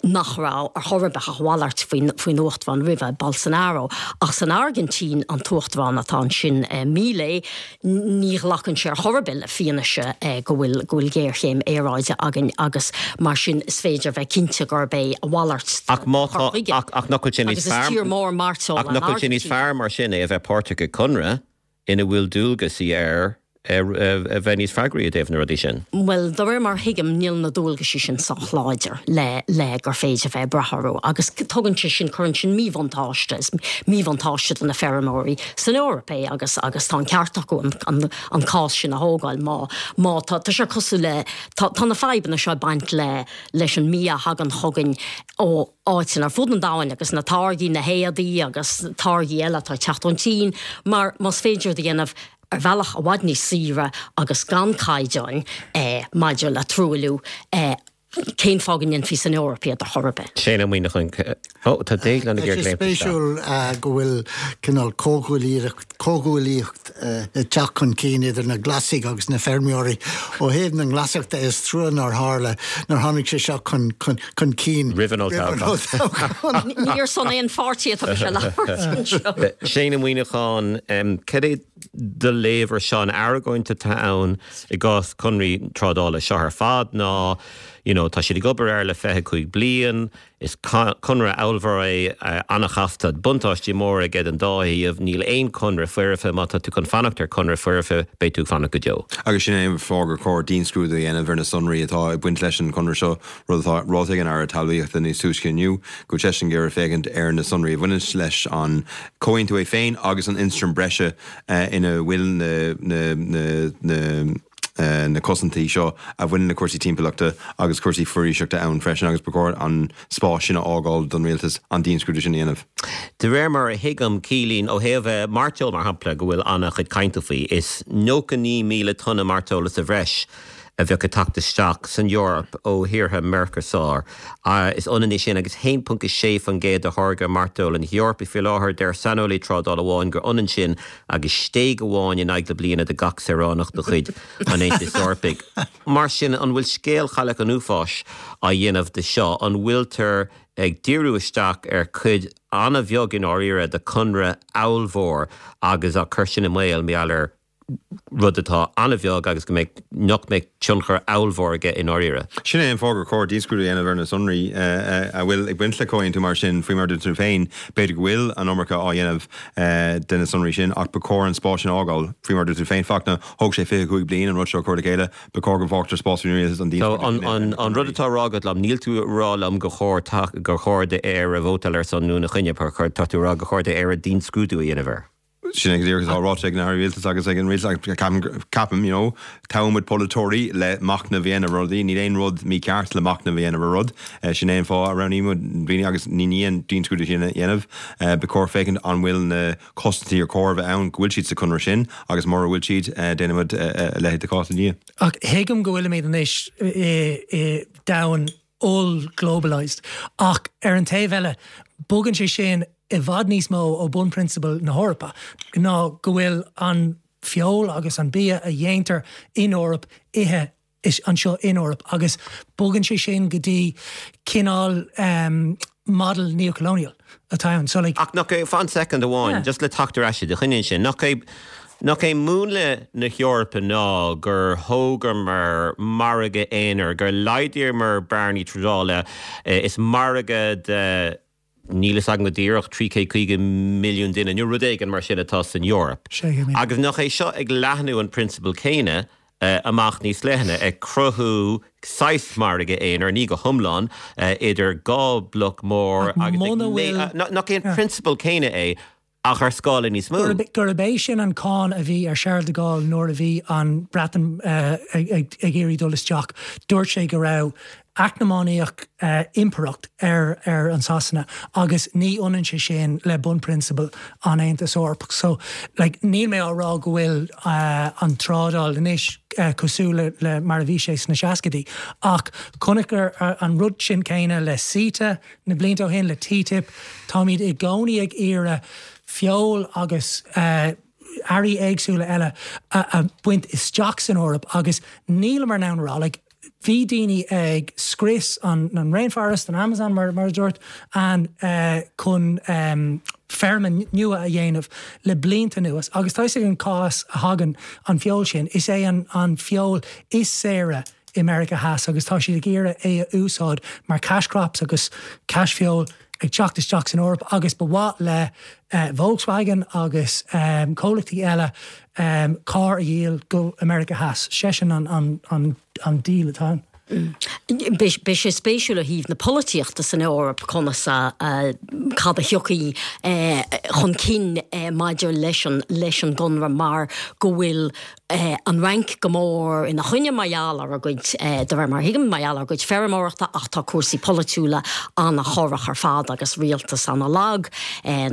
nach raibh ar chor ar bith ach a mhalairt faoin, faoin Uachtarán roimhe, Bolsonaro. Ach san Airgintín, an tUachtarán atá ansin, Milei, Ní ghlacann sé ar chor ar bith le fianaise go bhfuil go bhfuil géarchéim aeráide againn agus mar sin is féidir a bheith cinnte gurb é a mhalairt de Ach má chur tá, chuige. ach, ach nach bhfuil sé níos Agus is fearr, tír mór mairteola ach an nach bhfuil sé níos Airgintín. fearr mar sin é a bheith páirteach i gconradh ina bhfuil dualgaisí air a bheith níos freagraí i dtaobh na rudaí sin? Bhuel, de réir mar a thuigim, níl na dualgaisí sin sách láidir le le gur féidir bheith ag brath orthu agus tugann sé sin, cuireann sin míbhuntáiste, is míbhuntáiste do na feirmeoirí san Eoraip é agus agus tá an ceart acu an an an cás sin a thógáil má má tá tá sé cosúil le tá tá na fadhbanna seo ag baint le leis an mbia a thagann chugainn ó áiteanna ar fud an domhain agus na táirgí, na héadaí agus táirgí eile atá ag teacht ón tSín mar más féidir iad a dhéanamh ar bhealach i bhfad níos saoire agus gan caighdeáin maidir le truailliú, cén fáth go ndéanfaí san Eoraip iad ar chor ar bith? Shane Ó Muíneacháin, Ó, tá Déaglán ag Tá sé iarraidh léimt isteach. spéisiúil go bhfuil cineál comhghuaillíocht ag teacht chun cinn idir na Glasaigh agus na feirmeoirí. Ó thaobh na nGlasach de, is trua nár tharla, nár tháinig sé seo chun cinn roimh an olltoghchán. Ní ar son aon pháirtí atá mise ag labhairt anseo. Shane Ó Muíneacháin, Cad é do léamh ar seo, an argóint atá ann i gcás conraí trádála seo ar fad ná you know tá siad ag obair air le fiche cúig bliain, is conradh ollmhór é, an-chasta, buntáistí móra aige don dá thaobh, níl aon conradh foirfe, má tá tú chun fanacht ar conradh foirfe beidh tú ag fanacht go deo. Agus sin é an fáth gur chóir dianscrúdú a dhéanamh ar na sonraí atá ag baint leis an chonradh seo, rud atá ráite ag an Aire Talmhaíochta níos túisce inniu, go bhfuil seisean ag iarraidh féachaint ar na sonraí a bhaineann leis an chomhaontú é féin agus an ionstraim breise ina bhfuil na na cosaintí seo a bhaineann le cúrsaí timpeallachta agus cúrsaí foraoiseachta ann freisin agus ba chóir an spás sin a fhágáil don rialtas an dianscrúdú sin a dhéanamh. De réir mar a thuigim Céilín ó thaobh mairteoil mar shampla go bhfuil an-chuid cainte faoi is nócha naoi míle tonna mairteola sa bhreis a bheadh ag teacht isteach san Eoraip ó thíortha Mercosur. Is ionann é sin agus haon ponc a sé faoin gcéad de tháirgeadh mairteola na hEorpa faoi láthair. Deir saineolaí trádála amháin gur ionann sin agus stéig amháin in aghaidh na bliana do gach saoránach de chuid an Aontais Eorpaigh. Mar sin, an bhfuil scéal Chailleach an Uafáis á dhéanamh de seo? An bhfuiltear ag díriú isteach ar chuid an-bheag i ndáiríre de chonradh ollmhór agus á cur sin i mbaol mar gheall ar rud atá an-bheag agus go mbeidh, nach mbeidh tionchar ollmhór aige i ndáiríre. Sin é an fáth gur chóir dianscrúdú a dhéanamh ar na sonraí a bhfuil ag baint le comhaontú mar sin. Faoi mar a dúirt tú féin, b'fhéidir go bhfuil an iomarca á dhéanamh de na sonraí sin ach ba chóir an spás sin a fhágáil. Faoi mar a dúirt tú féin, Fachtna, thóg sé fiche cúig bliain an rud seo a chur le chéile, ba chóir go bhfágtar spás faoin rialtas an dianscrúdú sin a dhéanamh. An rud atá á rá agat liom, níl tú ag rá liom gur chóir gur chóir d'Éire vótáil ar son nó ina choinne, tá tú ag rá gur chóir d'Éire dianscrúdú a dhéanamh air. Sin é go díreach atá ráite ag an Aire Rialtais agus ag an Rialtas agus ceapaim, ceapaim, you know, toghann muid polaiteoirí le machnamh a dhéanamh ar rudaí. Níl aon rud mícheart le machnamh a dhéanamh ar rud. Sin é an fáth a roghnaíonn muid daoine agus ní ní an dianscrúdú sin a dhéanamh. Ba chóir féachaint an bhfuil na cosaintí ar chóir a bheith ann, go bhfuil siad sa chonradh sin agus mura bhfuil siad, déanfaidh muid a leithéid de chás ina dhiaidh. Ach thuigim go bhfuilimid anois i i domhan oll-globalised ach ar an taobh eile bogann sé sin i bhfad níos mó ó bunprionsabail na hEorpa ná go bhfuil an feoil agus an bia a dhéantar in Eoraip ithe anseo in Eoraip agus bogann sé sin go dtí cineál model neocolonial atá ann. So like. Ach nach é, fan soicind amháin, just le teacht ar ais i do choinne ansin, nach é, nach é múnla na hEorpa ná gur thógamar margadh aonair, gur laghdaíomar bearnaí trádála, is margadh de, níl fhios agam go díreach, trí chéad caoga milliún duine nó rud éigin mar sin atá san Eoraip. Agus nach é seo ag leathnú an prionsabal céanna amach níos leithne, ag cruthú saghas margadh aonair, ní go hiomlán, idir dhá bhloc mór agus ag, nach é an prionsabal céanna é ach ar scála níos mó? Gurb é sin an cáin a bhí ar Charles de Gaulle nuair a bhí an Bhreatain ag iarraidh dul isteach. Dúirt sé go raibh eacnamaíoch impireacht ar ar an Sasana agus ní ionann sé sin le bunprionsabail an Aontais Eorpaigh. So like níl mé á rá go bhfuil an trádáil anois cosúil le le mar a bhí sé sna seascaidí ach chonaiceamar an rud sin céanna le CETA na blianta ó shin, le TTIP, táimid i gcónaí ag iarraidh feoil agus earraí éagsúla eile a bhaint isteach san Eoraip agus níleamar in ann a rá like bhí daoine ag scrios an an rainforest, an Amazon mar mar a dúirt an chun feirme nua a dhéanamh le blianta anuas agus tá fhios ag an cá as a thagann an feoil sin, is é an an feoil is saoire i Meiriceá Theas agus tá siad ag iarraidh é a úsáid mar cash crops agus cash feoil ag teacht isteach san Eoraip agus ba mhaith le Volkswagen agus comhlachtaí eile carr a dhíol go America Theas. Sé sin an an deal atá ann. Beidh sé spéisiúil ó thaobh na polaitíochta san Eoraip conas a cad a thiocfaidh chun cinn maidir leis an leis an gconradh mar go bhfuil an Fhrainc go mór ina choinne mar gheall ar a gcuid, de réir mar a thuigim, mar gheall ar a gcuid feirmeoireachta ach tá cúrsaí polaitiúla an-chorrach ar fad agus rialtas an-lag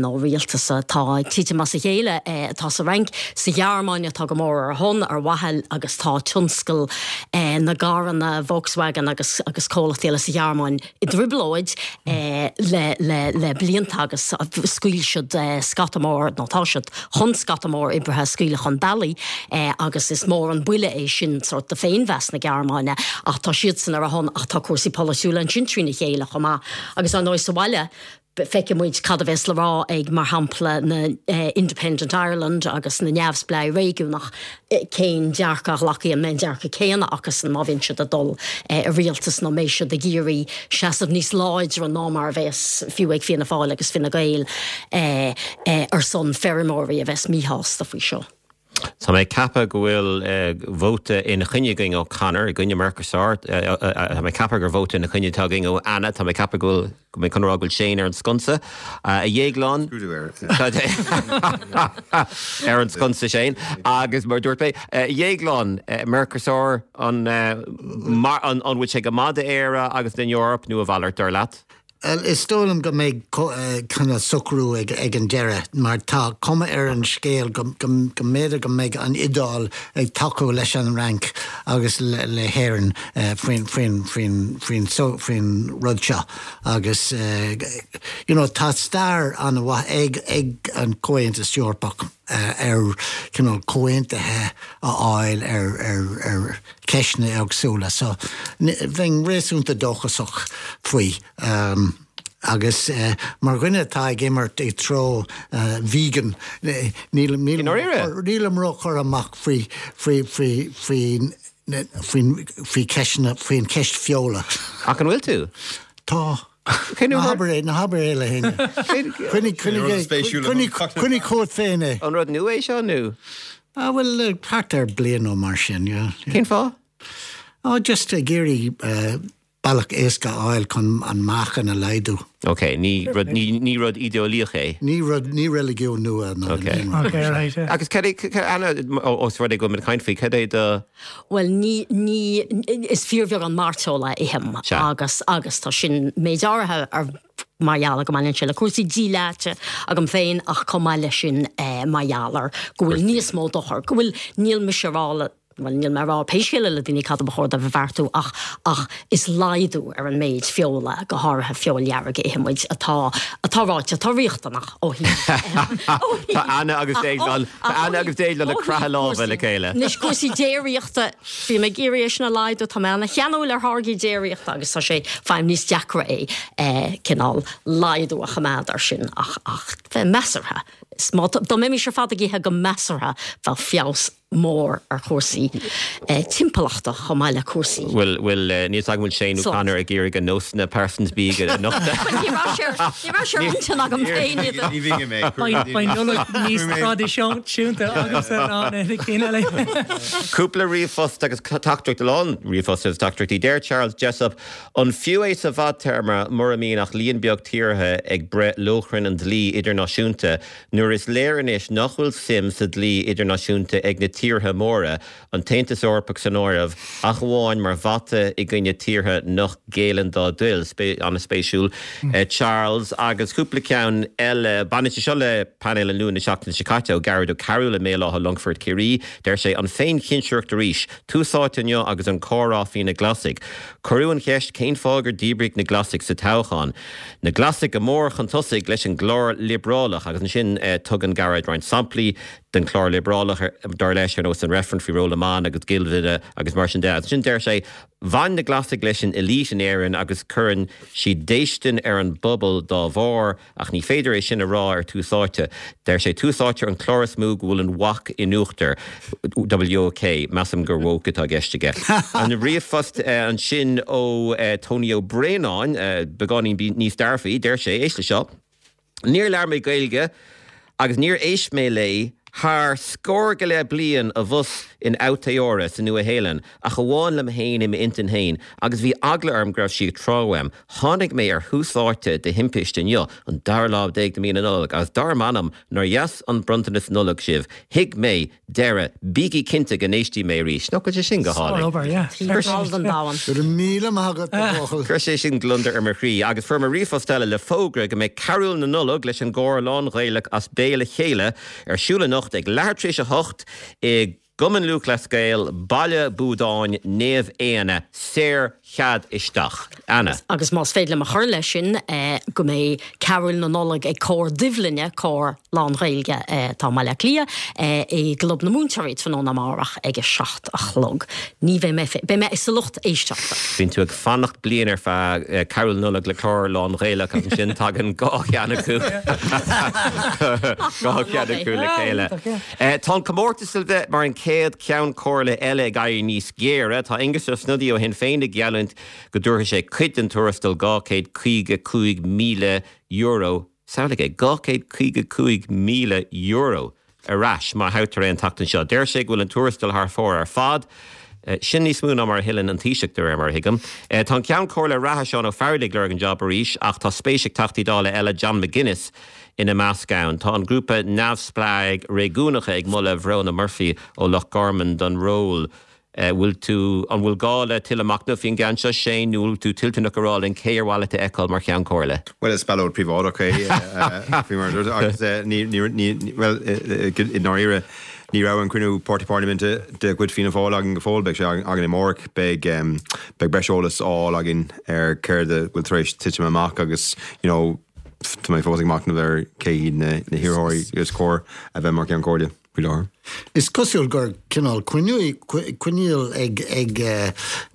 nó rialtas atá ag titim as a chéile atá sa Fhrainc. Sa Ghearmáin atá go mór ar a shon, ar mhaithe agus tá tionscal na gcarranna Volkswagen agus agus comhlachtaí eile sa Ghearmáin i dtrioblóid le le le blianta agus scaoil siad scata mór nó tá siad chun scata mór oibrithe a scaoileadh chun bealaigh agus is mór an buille é sin sórt do féinmheas na Gearmáine ach tá siadsan ar a shon ach tá cúrsaí polaitiúla ansin trína chéile chomh maith agus ar ndóigh sa bhaile feicfidh muid cad a bheas le rá ag mar shampla na Independent Ireland agus na neamhspleáigh réigiúnach cén dearcadh a ghlacfaidh an mbeidh an dearcadh céanna acusan má bhíonn siad ag dul i rialtas nó mbeidh siad ag iarraidh seasamh níos láidre ná mar a bheas fiú ag Fianna Fáil agus Fine Gael ar son feirmeoirí a bheas míshásta faoi seo. Tá mé ag ceapadh go bhfuil vóta ina choinne againn ó Conor i gcoinne Mercosur, tá mé ag ceapadh gur vóta ina choinne atá againn ó Anna, tá mé ag ceapadh go bhfuil go mbeidh chun a rá go bhfuil Shane ar an sconsa. A Dhéagláin ar an sconsa Shane agus mar dúirt mé, a Dhéagláin, Mercosur an an bhfuil sé go maith d'Éire agus don Eoraip nó a mhalairt dar leat? Is dóigh liom go mbeidh cineál socrú ag an deireadh mar tá cuma ar an scéal go mb'fhéidir go mbeidh an Iodáil ag tacú leis an Fhrainc agus le hÉirinn faoin faoin rud seo agus you know tá stair an-mhaith ag ag an Comhaontas Eorpach ar cineál comhaontuithe a fháil ar ar ar ceisteanna éagsúla so bheinn réasúnta dóchasach faoi. Um, agus uh, mar dhuine atá ag imirt i treo uh, vegan nílim nílim ró-churtha amach faoi faoi faoi faoi faoi ceisteanna faoin ceist feola. Ach an bhfuil tú? Tá. Ná habair é, ná habair é le héinne. Coinnigh chugat féin é. An rud nua é seo nó? Ah bhuel thart ar bliain nó mar sin, yeah. Cén fáth? Oh, just ag iarraidh uh, bealach éasca a fháil chun an meáchan a laghdú. Ok, ní rud ní ní rud idéolaíoch é. Ní rud ní reiligiún nua ná Ok. Ok, right. Yeah. Agus cad é Anna os rud é go bhfuil caint faoi cad é do Well ní ní is fíorbheag an mairteoil a ithim agus agus tá sin méid áirithe ar mar gheall go mbaineann sé le cúrsaí díleáite agam féin ach chomh maith leis sin eh, mar gheall ar go bhfuil níos mó dochar, go bhfuil níl mise ag rá le bhuel níl mé ag rá pé scéal é le daoine cad ba chóir dóibh a bheartú ach ach is laghdú ar an méid feola, go háirithe feoil dhearg a itheann muid atá atá ráite, atá riachtanach ó thaobh Tá Anna agus Déaglán Tá Anna agus Déaglán ag croitheadh lámha le chéile. Anois cúrsaí déiríochta, bím ag iarraidh é sin a laghdú, tá mé ana-cheanúil ar tháirgí déiríochta agus tá sé faighim níos deacra é cineál laghdú a choimeád air sin ach ach bheith measartha. Is má dá mbeimis ar fad ag ithe go measartha bheadh feabhas mór ar chúrsaí timpeallachta chomh maith le cúrsaí. Bhuel, bhuel, níl 's agam an bhfuil Shane nó Conor ag iarraidh a nósanna pearsanta bídh a nochtadh. Bhuel, ní raibh sé ar, ní raibh sé ar intinn agam féin iad a. Ní bhíonn mé. Beidh Nollaig níos traidisiúnta agamsa ná na cinn eile. Cúpla ríomhphost agus teachtaireacht, a lán ríomhphost agus teachtaireachtaí. Deir Charles Jessup, An fiú é sa bhfadtéarma mura mbíonn ach líon beag tíortha ag breith lóchrann an dlí idirnáisiúnta nuair is léir anois nach bhfuil suim sa dlí idirnáisiúnta ag na tíortha móra, an tAontas Eorpach san áireamh, ach amháin mar bhata i gcoinne tíortha nach ngéilleann dá dtoil. An-spéisiúil, Charles. Agus cúpla ceann eile, baineann sé seo le painéal an Luain na seachtaine seo caite, ó Gearóid Ó Cearúil i mBéal Átha Longfoirt, Ciarraí. Deir sé, An féinchinsireacht arís. Tús Áite inniu agus an comhrá faoi na Glasaigh. Cuireadh an cheist cén fáth gur díbríodh na Glasaigh sa toghchán. Na Glasaigh go mór chun tosaigh leis an gclár liobrálach agus ansin tugann Gearóid roinnt samplaí den chlár liobrálach, dar leis, ar nós an reifreann faoi ról na mban agus ginmhilleadh agus mar sin de. Agus ansin deir sé, Bhain na Glasaigh leis an elite in Éirinn agus cuireann siad déistin ar an bpobal dá bharr ach ní féidir é sin a rá ar Tús Áite. Deir sé, Tús Áite an clár is mó go bhfuil an WAC in uachtar. WOK, measaim gur woke atá i gceist aige. An ríomhphost ansin ó Tony Ó Braonáin, beagáinín níos dearfaí, deir sé, éist le seo, Níor labhair mé Gaeilge agus níor éist mé léi thar scór go leith bliain abhus in Aotearoa sa Nua-Shéalainn, ach amháin liom féin i m'intinn féin, agus bhí eagla orm go raibh sí ag trá uaim. Tháinig mé ar Thús Áite de thimpiste inniu, an dara lá déag de mhí na Nollag, agus dar m'anam nár dheas an bronntanas Nollag sibh. Thuig mé deireadh. Bígí cinnte go n-éistfidh mé arís. Nach bhfuil sé sin go hálainn? Sár-obair, yeah. Thar fad an domhan. Go raibh míle maith agat, a bhuachaill. Chuir sé sin gliondar ar mo chroí. Agus fuair mé ríomhphost eile le fógra go mbeidh Carúil na Nollag leis an gcór lán-Ghaelach As Béal a Chéile ar siúl anocht ag leathuair tar éis a hocht i gCumann Lúthchleas Gael, Baile Buadáin, Naomh Éanna. Saor chead isteach. Anna. Agus más féidir liom a chur leis sin, go mbeidh Carúil na Nollag ag Cór Duibhlinne, cór lán-Ghaeilge atá i mBaile Átha Cliath, i gClub na Múinteoirí tráthnóna amárach ag a seacht a chlog. Ní bheidh mé féin, beidh mé sa lucht éisteachta. Bíonn tú ag fanacht bliain ar feadh Carúil na Nollag le cór lán-Ghaelach agus ansin tagann dhá cheann acu, dhá cheann acu le chéile. Tá an comórtas le bheith mar an chéad Cheann Comhairle eile ag éirí níos géire. Tá Aengus Ó Snodaigh ó Shinn Féin ag geallúint go dtabharfaidh sé cuid den tuarastal dhá chéad caoga cúig míle euro, samhlaigh é, dhá chéad caoga cúig míle euro! ar ais má thoghtar é an tseachtain seo. Deir sé go bhfuil an tuarastal thar fóir ar fad. Sin níos mó ná mar a thuilleann an Taoiseach de réir mar a thuigim. Tá an Ceann Comhairle reatha Seán Ó Fearraigh ag lorg an job arís ach tá spéis ag Teachtaí Dála eile, John McGuinness ina measc ann. Tá an grúpa neamhspleáigh réigiúnacha ag moladh Verona Murphy ó Loch Garman don ról. Bhfuil tú, an bhfuil gá le tuilleadh machnaimh faoin gceann seo, Shane, nó bhfuil tú toilteanach a rá linn cé ar mhaith leat a fheiceáil mar Cheann Comhairle? Bhuel, is ballóid príobháideach é faoi mar a dúirt agus ní, ní, ní, bhuel, i ndáiríre, ní raibh an cruinniú páirtí parlaiminte de chuid Fianna Fáil againn go fóill, beidh sé againn amárach, beidh, beidh breis eolais á fháil againn ar céard a bhfuil tar éis titim amach agus, you know, tá mé fós ag machnamh ar cé hiad na, na hiarrthóirí is cóir a bheith mar Cheann Comhairle. faoi láthair. Is cosúil gur cineál coinníoll ag ag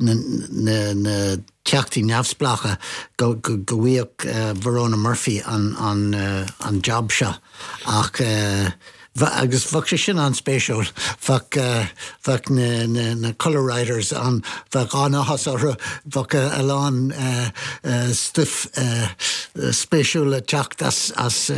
na na na teachtaí neamhspleácha go go go bhfaigheadh Verona Murphy an an an job seo ach agus bheadh sé sin an-spéisiúil bheadh bheadh na na na colour riders an bheadh an-áthas orthu bheadh a lán stuif spéisiúil le teacht as as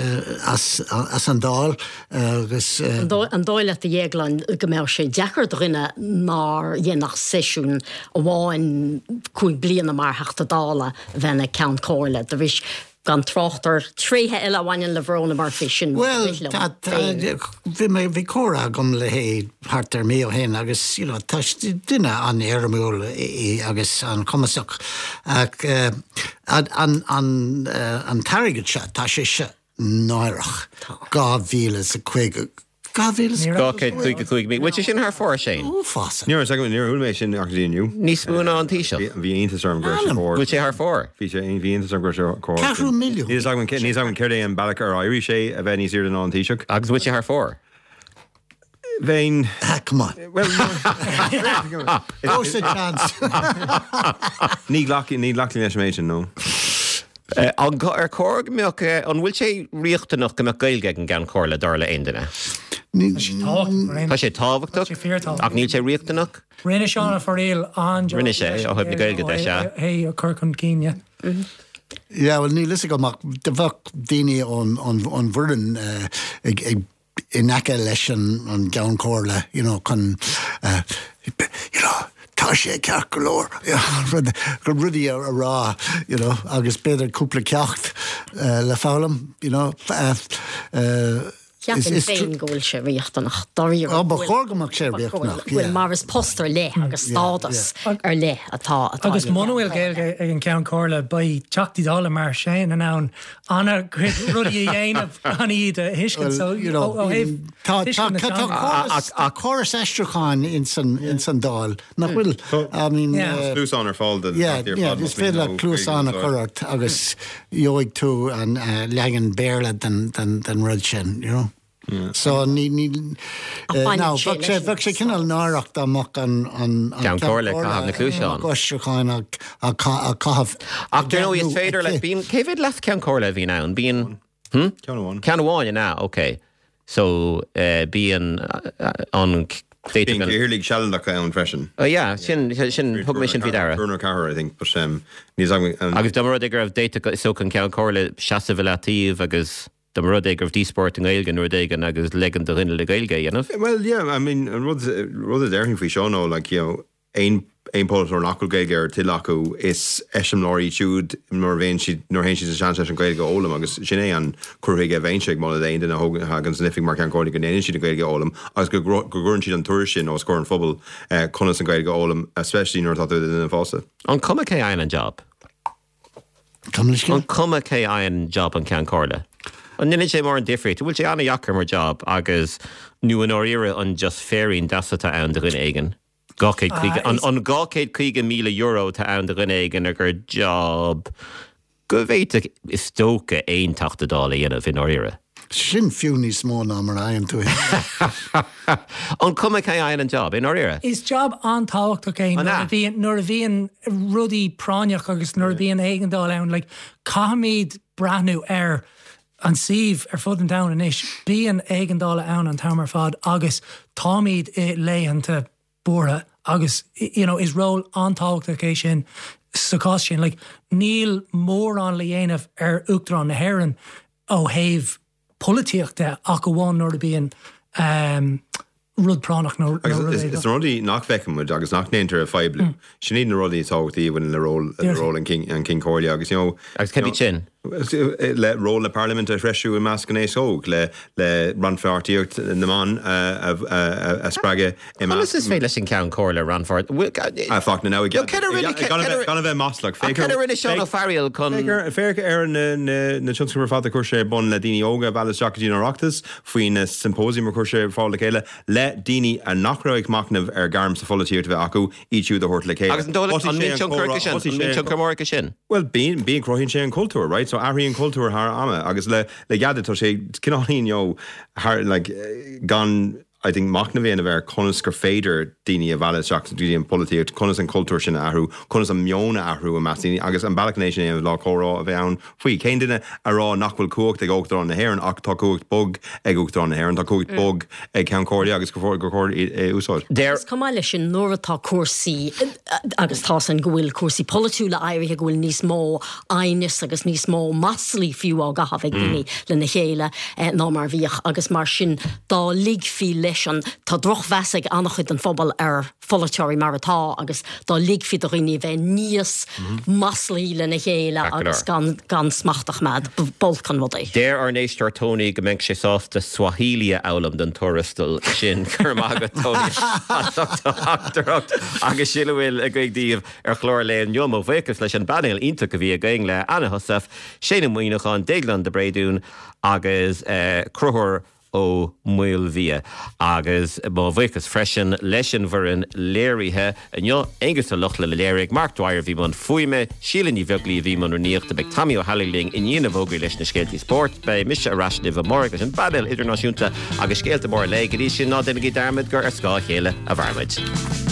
as as an Dáil agus. An dóigh leat a Dhéagláin go mbeadh sé deacair do dhuine nár dhein ach seisiún amháin cúig bliana mar Theachta Dála a bheith ina Ceann Comhairle de bhris gan trácht ar thréithe eile a bhaineann le Verona Murphy, sin Bhuel, bhí mé, bhí comhrá agam léi thart ar mí ó shin agus you know tá duine an-éirimiúil í agus an-chumasach ach an, an, an, an t-airgead seo, tá sé seo náireach. Dhá mhíle is a caoga, dhá mhíle is Dhá chéad caoga cúig míle. Bhfuil sé sin thar fóir, Shane? Uafásach. Ní raibh, níor chuala mé sin ach go dtí inniu. Níos mó ná an Taoiseach. Bhí iontas orm go raibh sé chóir. Bhfuil sé thar fóir? Bhí sé, bhí iontas orm go raibh sé chóir. Ceathrú milliún. Níl a fhios agam céard é an bealach ar éirigh sé a bheith níos airde ná an Taoiseach. Agus bhfuil sé thar fóir? Bheinn. Ah, come on. Well, Go sa chance. Ní ghlacfainn, ní ghlacfainn leis an méid sin, no. An ar chóir go mbeadh, an bhfuil sé riachtanach go mbeadh Gaeilge ag an gCeann Comhairle, dar le aon duine? Tá sé tábhachtach. Tá sé tábhachtach, Tá sé fíorthábhachtach. ach níl sé riachtanach. Rinne Seán Ó Fearghaíl an-jab. Rinne sé, ó thaobh na Gaeilge de, sea. É a chur chun cinn, yeah. Yeah, well níl fhios agam ach bheadh daoine ón ón bhfoireann ag ag in aice leis an an gCeann Comhairle, you know, chun you know, tá sé ceart go leor, rud, rudaí a rá, you know, agus b'fhéidir cúpla ceacht le foghlaim, you know. Cheapfainn féin go bhfuil sé riachtanach, dáiríre. Ó, ba chóir go mbeadh sé riachtanach, yeah. Bhuel, mar is post ar leith agus stádas ar leith atá atá Agus muna bhfuil Gaeilge ag an Ceann Comhairle, beidh Teachtaí Dála mar Shane in ann an-chuid rudaí a dhéanamh gan iad a thuiscint. So, you know, ó thaobh tá tuiscint na tá teanga. córas tá córas aistriúcháin ins an ins an Dáil, nach bhfuil? I mean, Yeah. uh, Cluasáin ar fáil do Yeah, Teachtaí ar yeah, fad, is más mian féidir leat leo cluasán a Gaeilge chur ort agus gheobhaidh tú an uh, leagan Béarla den, den, den rud sin, you know. So ní ní Ach baineann no, sé bheadh sé leis an bheadh sé cineál náireach dá mbeadh an an an Ceann Comhairle ag caitheamh na cluasáin. aistriúcháin á á á caitheamh Ach dar ndóigh, is nó féidir le aici. bíonn cé mhéad leas-Cheann Comhairle a bhíonn ann? Bíonn hm? Ceann amháin. Ceann amháin an ea, ok. So uh, bíonn uh, an Bíonn cathaoirligh sealadacha ann freisin. Oh yeah, sin sin thug mé sin faoi deara. Triúr nó ceathrar, I think, but um, níl fhios agam an Agus dá mba rud é go raibh d'fhéadfadh is dócha an Ceann Comhairle seasamh i leataobh agus dá mba rud é go raibh díospóireacht i nGaeilge nó rud éigin agus ligean do dhuine le Gaeilge a dhéanamh. Well, yeah, I mean, an rud rud a déarfainn faoi seo nó like, you know, aon aon polaiteoir nach bhfuil Gaeilge ar a toil acu is eiseamláir iad siúd nuair a bhíonn siad nuair a théann siad sa seans leis an Ghaeilge a fhoghlaim agus sin é an cur chuige a bheinnse ag moladh d'aon duine a thógann a thagann san oifig mar Cheann Comhairle go ndéanann siad an Ghaeilge a fhoghlaim agus go go gcuireann siad an tuairisc sin os comhair an phobail eh, conas an Ghaeilge a fhoghlaim, especially nuair atá tú i do dhuine fásta. An cuma cé a fhaigheann an job? Gabh mo leithscéal? An cuma cé a fhaigheann job an Ceann Comhairle? An ndéanann sé mórán difríocht? Bhfuil sé an-dheacair mar job agus nó i ndáiríre an just féirín deas atá ann do dhuine éigin? Dhá chéad caoga, Ah, an is- an dhá chéad caoga míle euro atá ann do dhuine éigin ar gur job go bhféadfadh is dócha aon Teachta Dála a dhéanamh i ndáiríre. Sin fiú níos mó ná mar a fhaigheann tú. An cuma cé a fhaigheann an job i ndáiríre? Is job an-tábhachtach é An nuair ea? a bhíonn nuair a bhíonn rudaí práinneach agus nuair a bhíonn éigeandáil ann, like, caithfimid breathnú ar an suíomh ar fud an domhain anois. Bíonn éigeandála ann an t-am ar fad agus táimid i laethanta buartha agus you know, is ról an-tábhachtach é sin sa chás sin. Like, níl mórán le dhéanamh ar Uachtarán na hÉireann ó thaobh polaitíochta ach amháin nuair a bhíonn rud práinneach nó Agus is na rudaí nach bhfeiceann muid agus nach ndéantar a phoibliú, sin iad na rudaí is tábhachtaí a bhaineann le ról le ról an Cinn an Cinn Comhairle agus you know Agus cad iad sin? le ról na parlaiminte a threisiú i measc an aos óg, le le rannpháirtíocht na mban a a a spreagadh i Conas is féidir leis an Ceann Comhairle rannpháirt A fuck na now Cad a rinne gan a bheith maslach Cad a rinne Seán Ó Fearghaíl chun Féach ar na na tionscnaimh ar fad a chuir sé ar bun le daoine óga a mhealladh isteach go dtí an Oireachtas, faoi na symposium a chuir sé ar fáil le chéile le daoine a nach raibh ag machnamh ar gairm sa pholaitíocht a bheith acu, iad siúd a thabhairt le chéile. Agus an dóigh leat an mbíonn tionchar aige sin? An mbíonn tionchar mór aige sin? Bhuel, bíonn, bíonn, cruthaíonn sé an cultúr, right? So athraíonn cultúr thar ama agus le le Ghada tá sé cineáilín you know thar like gan I think machnamh a dhéanamh ar conas gur féidir daoine a mhealladh isteach go dtí an pholaitíocht, conas an cultúr sin a athrú, conas an meon a athrú i measc daoine agus an bealach chun é sin a dhéanamh ná comhrá a bheith ann faoi. Cén duine a rá nach bhfuil cumhacht ag Uachtarán na hÉireann ach tá cumhacht bog ag Uachtarán na hÉireann, tá cumhacht bog ag Ceann Comhairle agus gur gur chóir é a úsáid. Deir. Agus chomh maith leis sin nuair atá cúrsaí, agus tá san go bhfuil cúrsaí polaitiúla éirithe go bhfuil níos mó aighneas agus níos mó maslaí fiú á gcaitheamh ag daoine lena chéile ná mar a bhíodh agus mar sin dá ligfí leis an, tá drochmheas ag an-chuid den phobal ar pholaiteoirí mar atá agus dá ligfí do dhaoine a bheith níos maslaí lena chéile agus gan gan smacht a choimeád, b'olc an rud é. Deir ár n-éisteoir Tony go mbeadh sé sásta Swahili a fhoghlaim don tuarastal sin. Go raibh maith agat Tony as ucht do theachtaireacht agus sin a bhfuil againn daoibh ar chlár an lae inniu. Mo bhuíochas leis an bpainéal iontach a bhí againn le Anna Heussaff, Shane Ó Muíneacháin, Déaglán de Bréadún agus Conchúr Ó Maoilbhia. Agus mo bhuíochas freisin leis an bhfoireann léirithe inniu, Aonghus Ó Lochlainn a léirigh, Mark Dwyer a bhí i mbun fuaime, Síle Ní Bheaglaoí a bhí i mbun rúnaíochta, beidh Tommy Ó hEallaigh linn i ndiaidh na bhfógraí leis na scéaltaí spóirt, beidh mise ar ais libh amárach leis an bpainéal idirnáisiúnta agus scéalta móra an lae. Go dtí sin, ná déanaigí dearmad gur ar scáth a chéile a mhairimid.